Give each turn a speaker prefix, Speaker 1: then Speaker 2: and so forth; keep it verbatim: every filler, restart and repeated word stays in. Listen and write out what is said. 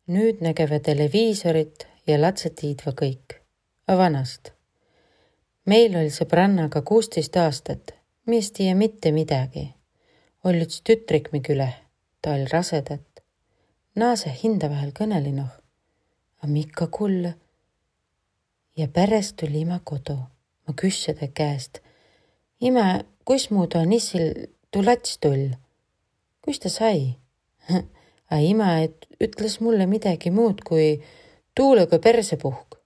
Speaker 1: Nüüd nägeve televiisorit ja latsed tiidva kõik. A vanast. Meil oli sõbrannaga kuusteist aastat, mis tiia mitte midagi. Oli üks tütrik mi küle, ta oli rasedat. Naase hinda vähel kõnelinoh, a mikka kull. Ja pärast tuli ima kodu. Ma küssede käest. Ime, kus muudu on issil tuu lats tull? Kus ta sai? A ima et ütles mulle midagi muud kui tuulega persepuhk.